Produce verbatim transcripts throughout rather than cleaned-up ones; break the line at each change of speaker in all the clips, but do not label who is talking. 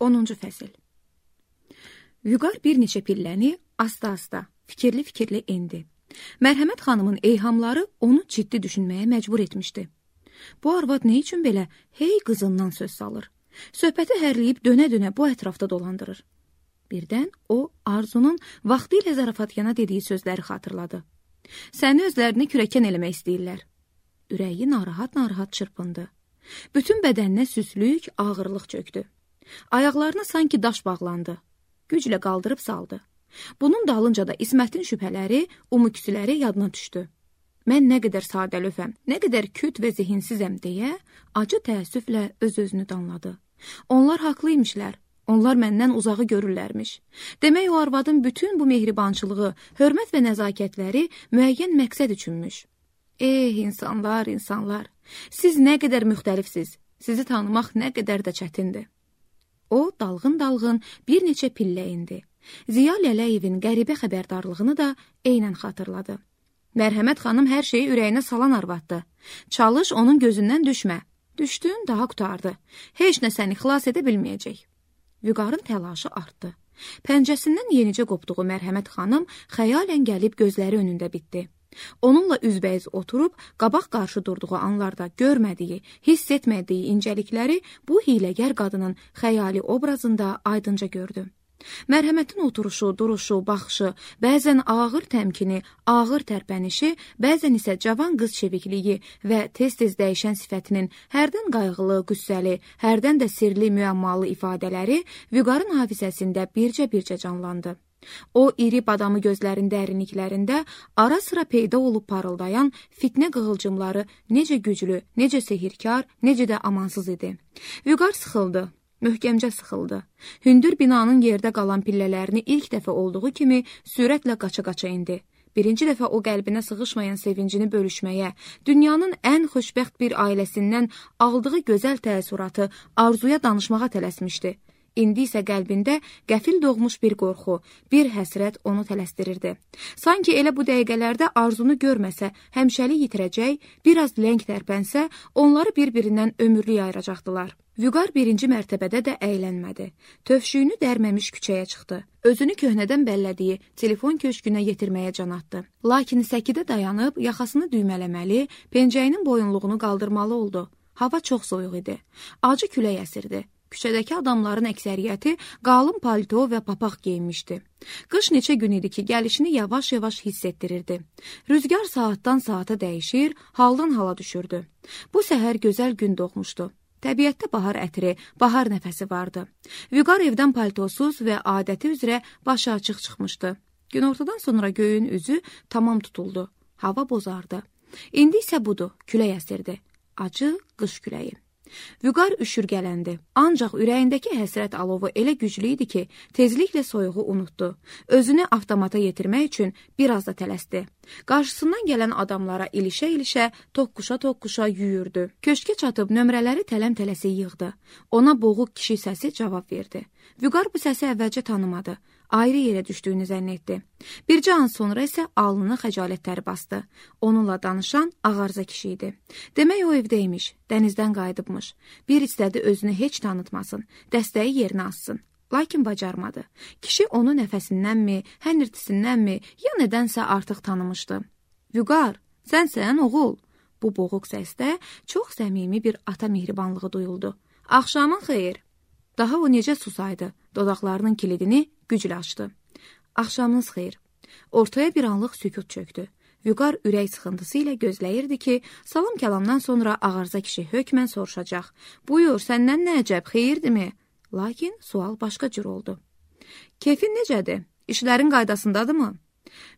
onuncu fəsil. Vüqar bir neçə pilləni asta-asta, fikirli-fikirli endi. Mərhəmət xanımın eyhamları onu ciddi düşünməyə məcbur etmişdi. Bu arvad nə üçün belə hey qızından söz salır? Söhbəti hərləyib dönə-dönə bu ətrafda dolandırır. Birdən o, Arzunun vaxtı ilə zarafatyana dediyi sözləri xatırladı. Səni özlərini kürəkən eləmək istəyirlər. Ürəyi narahat-narahat çırpındı. Bütün bədəninə süslük, ağırlıq çöktü. Ayaqlarına sanki daş bağlandı. Güclə qaldırıb saldı. Bunun dalınca da İsmətin şübhələri, umuküsüləri yadına düşdü. Mən nə qədər sadəlöfəm, nə qədər küt və zihinsizəm deyə acı təəssüflə öz-özünü danladı. Onlar haqlıymışlar. Onlar məndən uzağı görürlərmiş. Demək o arvadın bütün bu mehribançılığı, hörmət və nəzakətləri müəyyən məqsəd üçünmüş. Eh, insanlar, insanlar, siz nə qədər müxtəlifsiz, sizi tanımaq nə qədər də çətindir. O, dalğın-dalğın bir neçə pillə indi. Ziya Lələyevin qəribə xəbərdarlığını da eynən xatırladı. Mərhəmət xanım hər şeyi ürəyinə salan arvaddı. Çalış, onun gözündən düşmə. Düşdün, daha qutardı. Heç nə səni xilas edə bilməyəcək. Vüqarın təlaşı artdı. Pəncəsindən yenicə qopduğu Mərhəmət xanım xəyalən gəlib gözləri önündə bitdi. Onunla üzbəyiz oturub, qabaq qarşı durduğu anlarda görmədiyi, hiss etmədiyi incəlikləri bu hiləgər qadının xəyali obrazında aydınca gördü. Mərhəmətin oturuşu, duruşu, baxışı, bəzən ağır təmkini, ağır tərpənişi, bəzən isə cavan qız çevikliyi və tez-tez dəyişən sifətinin hərdən qayğılı, qüssəli, hərdən də sirli, müəmmalı ifadələri Vüqarın hafizəsində bircə-bircə canlandı. O, iri badamı gözlərin dərinliklərində ara-sıra peyda olub parıldayan fitnə qığılcımları necə güclü, necə sehirkar, necə də amansız idi. Vüqar sıxıldı. Möhkəmcə sıxıldı. Hündür binanın yerdə qalan pillələrini ilk dəfə olduğu kimi sürətlə qaça-qaça indi. Birinci dəfə o qəlbinə sığışmayan sevincini bölüşməyə, dünyanın ən xoşbəxt bir ailəsindən aldığı gözəl təəssüratı Arzuya danışmağa tələsmişdi. İndi isə qəlbində qəfil doğmuş bir qorxu, bir həsrət onu tələsdirirdi. Sanki elə bu dəqiqələrdə Arzunu görməsə, həmişəlik yitirəcək, biraz ləng tərpənsə, onları bir-birindən ömürlük ayıracaqdılar. Vüqar birinci mərtəbədə də əylənmədi. Tövşüyünü dərməmiş küçəyə çıxdı. Özünü köhnədən bəllədiyi telefon köşkünə yetirməyə can atdı. Lakin səkidə dayanıb, yaxasını düymələməli, pencəyinin boyunluğunu qaldırmalı oldu. Hava çox soyuq idi. Acı külək əsirdi. Küçədəki adamların əksəriyyəti qalın palto və papaq geyinmişdi. Qış neçə gün idi ki, gəlişini yavaş-yavaş hiss etdirirdi. Rüzgar saatdan saata dəyişir, haldan hala düşürdü. Bu səhər gözəl gün doğmuşdu. Təbiətdə bahar ətri, bahar nəfəsi vardı. Vüqar evdən paltosuz və adəti üzrə başı açıq çıxmışdı. Günortadan sonra göyün üzü tamam tutuldu. Hava bozardı. İndi isə budur, külək əsirdi. Acı qış küləyi. Vüqar üşürgələndi. Ancaq ürəyindəki həsrət alovu elə güclü idi ki, tezliklə soyuğu unutdu. Özünü avtomata yetirmək üçün biraz da tələsdi. Qarşısından gələn adamlara ilişə-ilişə, toqquşa-toqquşa yüyürdü. Köşkə çatıb nömrələri tələm-tələsi yığdı. Ona boğuq kişi səsi cavab verdi. Vüqar bu səsi əvvəlcə tanımadı. Ayrı yerə düşdüyünü zənn etdi. Bircə an sonra isə alnını xəcalətləri bastı. Onunla danışan ağarza kişi idi. Demək o evdəymiş, dənizdən qayıdıbmış. Bir istədi özünü heç tanıtmasın, dəstəyi yerinə assın. Lakin bacarmadı. Kişi onu nəfəsindənmi, hənirtisindənmi, ya nədənsə artıq tanımışdı. Vüqar, sənsən oğul. Bu boğuq səsdə çox səmimi bir ata mehribanlığı duyuldu. Axşamın xeyir. Daha o necə susaydı, dodaqlarının kilidini güclə açdı. Axşamınız xeyir. Ortaya bir anlıq sükut çöktü. Vüqar ürək sıxıntısı ilə gözləyirdi ki, salam kəlamdan sonra ağarza kişi hökmən soruşacaq. Buyur, səndən nə əcəb, xeyirdimi? Lakin sual başqa cür oldu. Keyfin necədir? İşlərin qaydasındadırmı?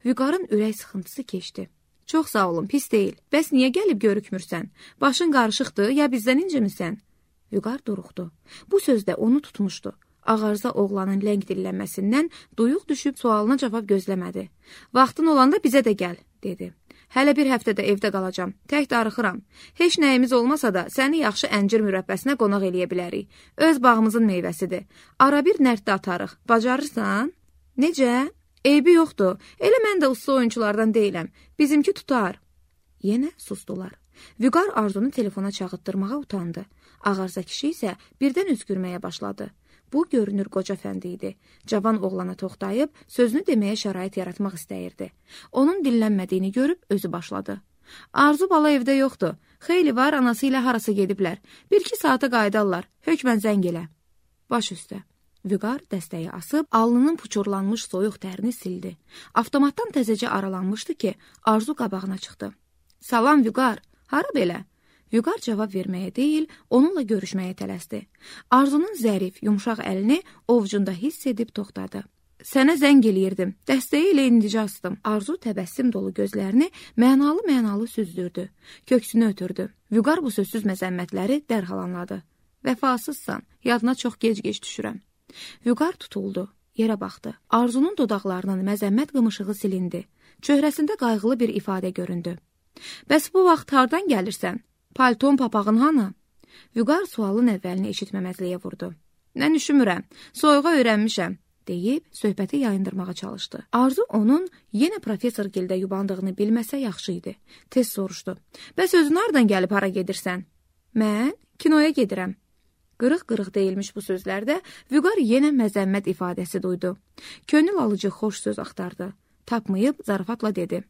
Vüqarın ürək sıxıntısı keçdi. Çox sağ olun, pis deyil. Bəs niyə gəlib görükmürsən? Başın qarışıqdır, ya bizdən incimisən? Vüqar duruxdu. Bu sözdə onu tutmuşdu. Ağarza oğlanın ləng dillənməsindən duyuq düşüb sualına cavab gözləmədi. Vaxtın olanda bizə də gəl, dedi. Hələ bir həftədə evdə qalacam, tək darıxıram. Heç nəyimiz olmasa da səni yaxşı əncir mürəbbəsinə qonaq eləyə bilərik. Öz bağımızın meyvəsidir. Ara bir nərddə atarıq, bacarırsan? Necə? Eybi yoxdur, elə mən də usta oyunculardan deyiləm. Bizimki tutar. Yenə sustular. Vüqar Arzunu telefona çağıtdırmağa utandı. Ağarza kişi isə birdən öskürməyə başladı. Bu görünür qoca fəndi idi. Cavan oğlana toxtayıb, sözünü deməyə şərait yaratmaq istəyirdi. Onun dinlənmədiyini görüb özü başladı. Arzu bala evdə yoxdur. Xeyli var, anası ilə harasa gediblər. Bir-iki saata qayıdarlar. Hökmən zəng elə. Baş üstə. Vüqar dəstəyi asıb, alnının puçurlanmış soyuq tərini sildi. Avtomatdan təzəcə aralanmışdı ki, Arzu qabağına çıxdı. Salam Vüqar, hara belə? Vüqar cavab verməyə deyil, onunla görüşməyə tələsdi. Arzunun zərif, yumşaq əlini ovcunda hiss edib toxtadı. Sənə zəng eləyirdim, dəstəyi ilə indicə astım. Arzu təbəssüm dolu gözlərini mənalı-mənalı süzdürdü. Köksünü ötürdü. Vüqar bu sözsüz məzəmmətləri dərhal anladı. Vəfasızsan, yadına çox gec-gec düşürəm. Vüqar tutuldu, yerə baxdı. Arzunun dodaqlarının məzəmmət qımışığı silindi. Çöhrəsində qayğılı bir ifadə göründü. Bəs bu vaxt hardan gəlirsən? Palton papağın hanı? Vüqar sualın əvvəlini eşitməməzliyə vurdu. Mən üşümürəm, soyuğa öyrənmişəm, deyib söhbəti yayındırmağa çalışdı. Arzu onun yenə professor gildə yubandığını bilməsə yaxşı idi. Tez soruşdu. Bəs özün hardan gəlib hara gedirsən? Mən kinoya gedirəm. Qırıq-qırıq deyilmiş bu sözlərdə Vüqar yenə məzəmmət ifadəsi duydu. Könül alıcı xoş söz axtardı. Tapmayıb zarafatla dedi.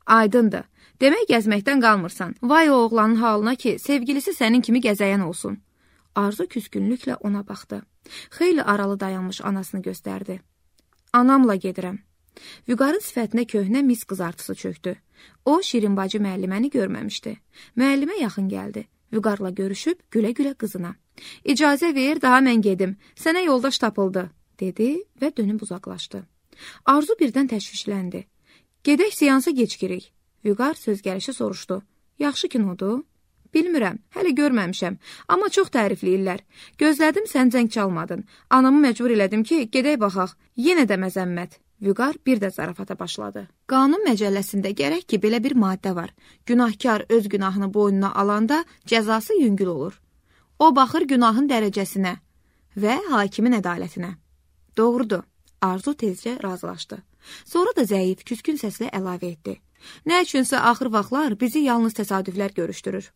Aydındır. Demək gəzməkdən qalmırsan. Vay o oğlanın halına ki, sevgilisi sənin kimi gəzəyən olsun. Arzu küskünlüklə ona baxdı. Xeyli aralı dayanmış anasını göstərdi. Anamla gedirəm. Vüqarın sifətinə köhnə mis qızartısı çöktü. O, Şirin bacı müəlliməni görməmişdi. Müəllimə yaxın gəldi. Vüqarla görüşüb gülə-gülə qızına. İcazə ver, daha mən gedim. Sənə yoldaş tapıldı, dedi və dönüb uzaqlaşdı. Arzu birdən təşvişləndi. Gedək seansa gecikirik. Vüqar söz gəlişi soruşdu. Yaxşı kinodur? Bilmirəm, hələ görməmişəm, amma çox tərifləyirlər. Gözlədim, sən zəng çalmadın. Anamı məcbur elədim ki, gedək baxaq. Yenə də məzəmmət. Vüqar bir də zarafata başladı. Qanun məcəlləsində gərək ki, belə bir maddə var. Günahkar öz günahını boynuna alanda cəzası yüngül olur. O baxır günahın dərəcəsinə və hakimin ədalətinə. Doğrudur. Arzu tezcə razılaşdı. Sonra da zəif, küskün səslə əlavə etdi. Nə üçünsə axır vaxtlar bizi yalnız təsadüflər görüşdürür.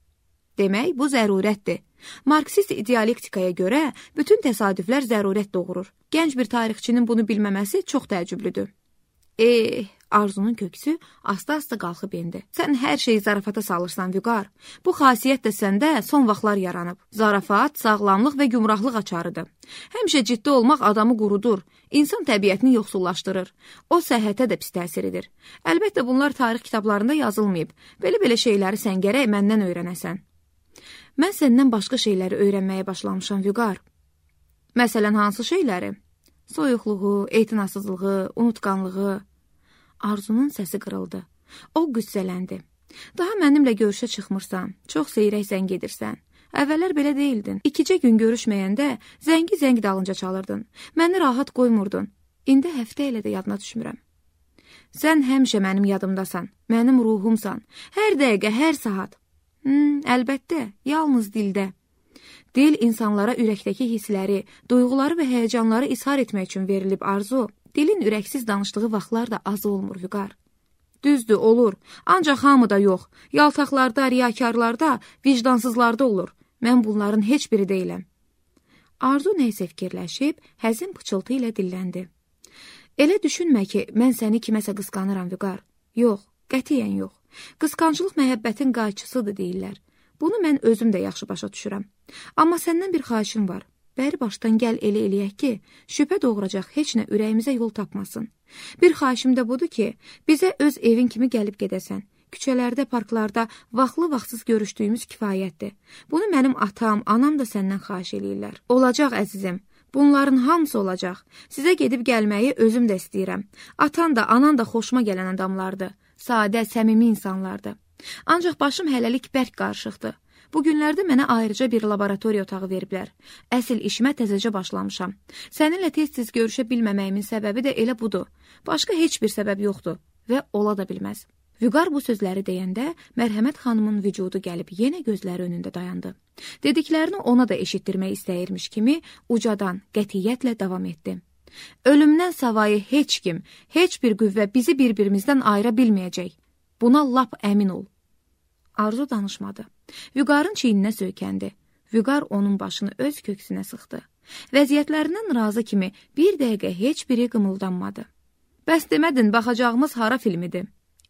Demək, bu zərurətdir. Marksist idealektikaya görə bütün təsadüflər zərurət doğurur. Gənc bir tarixçinin bunu bilməməsi çox təəccüblüdür. Eh, Arzunun köksü asta-asta qalxıb endi. Sən hər şeyi zarafata salırsan, Vüqar. Bu xasiyyət də səndə son vaxtlar yaranıb. Zarafat, sağlamlıq və gümrahlıq açarıdır. Həmişə ciddi olmaq adamı qurudur. İnsan təbiətini yoxsullaşdırır. O səhhətə də pis təsir edir. Əlbəttə bunlar tarix kitablarında yazılmayıb. Belə-belə şeyləri sən gərək məndən öyrənəsən. Mən səndən başqa şeyləri öyrənməyə başlamışam, Vüqar. Məsələn, hansı şeyləri? Soyuqluğu, etinasızlığı, unutqanlığı. Arzunun səsi qırıldı. O qüssələndi. Daha mənimlə görüşə çıxmırsan, çox seyrək zəng edirsən. Əvvəllər belə deyildin. İkicə gün görüşməyəndə zəngi zəng dalınca çalırdın. Məni rahat qoymurdun. İndi həftə ilə də yadına düşmürəm. Sən həmişə mənim yadımdasan, mənim ruhumsan. Hər dəqiqə, hər saat. Hmm, əlbəttə, yalnız dildə. Dil insanlara ürəkdəki hissləri, duyğuları və həyəcanları izhar etmək üçün verilib Arzu. Dilin ürəksiz danışdığı vaxtlar da az olmur, Vüqar. Düzdür, olur. Ancaq hamıda yox. Yaltaqlarda, riyakarlarda, vicdansızlarda olur. Mən bunların heç biri deyiləm. Arzu neysə fikirləşib, həzin pıçıltı ilə dilləndi. Elə düşünmə ki, mən səni kiməsə qısqanıram, Vüqar. Yox, qətiyyən yox. Qısqancılıq məhəbbətin qayçısıdır deyirlər. Bunu mən özüm də yaxşı başa düşürəm. Amma səndən bir xahişim var. Bəri başdan gəl elə eləyək ki, şübhə doğuracaq heç nə ürəyimizə yol tapmasın. Bir xahişim də budur ki, bizə öz evin kimi gəlib gedəsən. Küçələrdə, parklarda vaxtlı-vaxtsız görüşdüyümüz kifayətdir. Bunu mənim atam, anam da səndən xahiş eləyirlər. Olacaq əzizim, bunların hamısı olacaq. Sizə gedib gəlməyi özüm də istəyirəm. Atan da, anan da xoşuma gələn adamlardır. Sadə, səmimi insanlardır. Ancaq başım hələlik bərk qarışıqdır. Bu günlərdə mənə ayrıca bir laboratoriya otağı veriblər. Əsl işimə təzəcə başlamışam. Səninlə tez-tez görüşə bilməməyimin səbəbi də elə budur. Başqa heç bir səbəb yoxdur və ola da bilməz. Vüqar bu sözləri deyəndə Mərhəmət xanımın vücudu gəlib yenə gözləri önündə dayandı. Dediklərini ona da eşitdirmək istəyirmiş kimi ucadan, qətiyyətlə davam etdi. Ölümdən savayı heç kim, heç bir qüvvə bizi bir-birimizdən ayıra bilməyəcək. Buna lap əmin ol. Arzu danışmadı. Vüqarın çiyninə söykəndi. Vüqar onun başını öz köksünə sıxdı. Vəziyyətlərindən razı kimi bir dəqiqə heç biri qımıldanmadı. Bəs demədin, baxacağımız hara filmidir?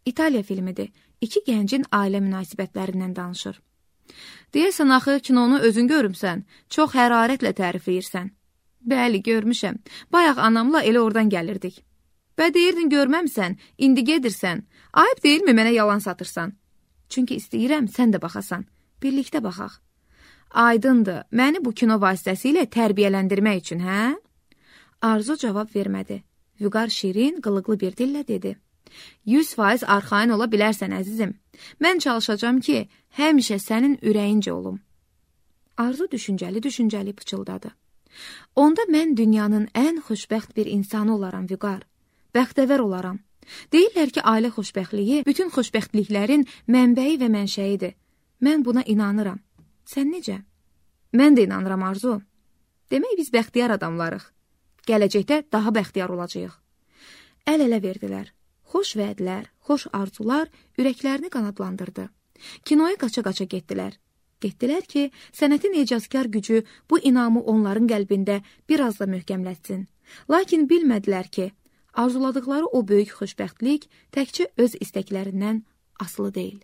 İtaliya filmidir. İki gəncin ailə münasibətlərindən danışır. Deyəsən, axı kinonu özün görümsən, çox hərarətlə tərifləyirsən. Bəli, görmüşəm. Bayaq anamla elə oradan gəlirdik. Bə deyirdin, görməmsən, indi gedirsən. Ayıb deyilmi mənə yalan satırsan? Çünki istəyirəm, sən də baxasan. Birlikdə baxaq. Aydındır, məni bu kino vasitəsilə tərbiyələndirmək üçün, hə? Arzu cavab vermədi. Vüqar şirin, qılıqlı bir dillə dedi. yüz faiz arxain ola bilərsən, əzizim. Mən çalışacağam ki, həmişə sənin ürəyincə olum. Arzu düşüncəli-düşüncəli pıçıldadı. Onda mən dünyanın ən xoşbəxt bir insanı olaram, Vüqar. Bəxtəvər olaram. Deyirlər ki, ailə xoşbəxtliyi bütün xoşbəxtliklərin mənbəyi və mənşəyidir. Mən buna inanıram. Sən necə? Mən də inanıram, Arzu. Demək biz bəxtiyar adamlarıq. Gələcəkdə daha bəxtiyar olacağıq. Əl-ələ verdilər. Xoş vədlər, xoş arzular ürəklərini qanadlandırdı. Kinoya qaça-qaça getdilər. Getdilər ki, sənətin ecazkar gücü bu inamı onların qəlbində biraz da möhkəmlətsin. Lakin bilmədilər ki, arzuladıqları o böyük xoşbəxtlik təkcə öz istəklərindən asılı deyil.